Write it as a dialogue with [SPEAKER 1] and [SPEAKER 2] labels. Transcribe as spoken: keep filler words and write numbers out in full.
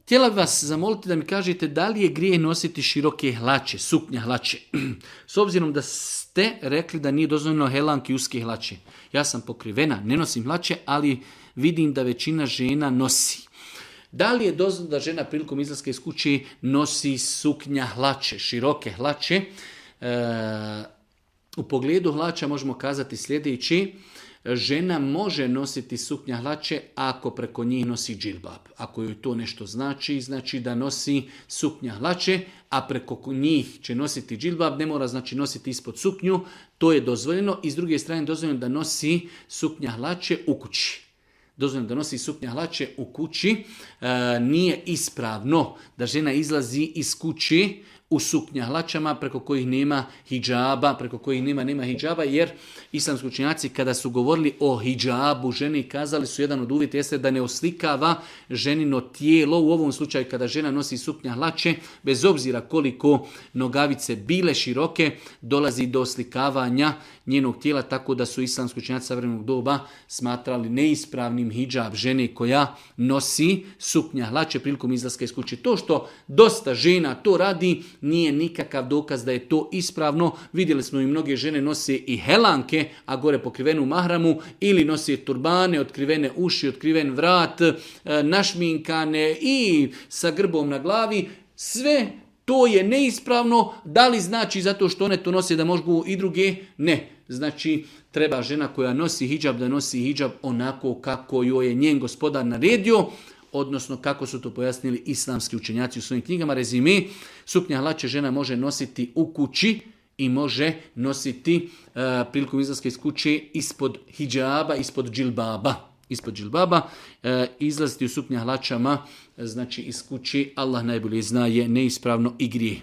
[SPEAKER 1] htjela bih vas zamoliti da mi kažete da li je grijeh nositi široke hlače, suknja hlače. S obzirom da ste rekli da nije dozvoljeno helanke i uske hlače. Ja sam pokrivena, ne nosim hlače, ali vidim da većina žena nosi. Da li je dozvoljeno da žena prilikom izlaska iz kuće nosi suknja hlače, široke hlače? E, u pogledu hlača možemo kazati sljedeći. Žena može nositi suknja hlače ako preko njih nosi džilbab. Ako joj to nešto znači, znači da nosi suknja hlače, a preko njih će nositi džilbab, ne mora znači nositi ispod suknju, to je dozvoljeno. I s druge strane dozvoljeno da nosi suknja hlače u kući. Dozvoljeno da nosi suknja hlače u kući. E, nije ispravno da žena izlazi iz kući u suknja hlačama preko kojih nema hidžaba, preko kojih nema, nema hidžaba, jer islamski učenjaci kada su govorili o hidžabu ženi kazali su jedan od uvjeta jeste da ne oslikava ženino tijelo. U ovom slučaju kada žena nosi suknja hlače, bez obzira koliko nogavice bile široke, dolazi do oslikavanja njenog tijela, tako da su islamski učenjaci savremenog doba smatrali neispravnim hidžab žene koja nosi suknja hlače prilikom izlaska iz kuće. To što dosta žena to radi nije nikakav dokaz da je to ispravno. Vidjeli smo i mnoge žene nose i helanke, a gore pokrivenu mahramu, ili nose turbane, otkrivene uši, otkriven vrat, našminkane i sa grbom na glavi. Sve to je neispravno. Da li znači zato što one to nose da mogu i druge? Ne. Znači, treba žena koja nosi hidžab da nosi hidžab onako kako joj je njen gospodar naredio, odnosno kako su to pojasnili islamski učenjaci u svojim knjigama. Rezime, suknja hlače žena može nositi u kući i može nositi uh, prilikom izlaska iz kuće ispod hidžaba, ispod džilbaba. Ispod džilbaba, uh, izlaziti u suknja hlačama, znači iz kući, Allah najbolje zna, je neispravno i grijeh.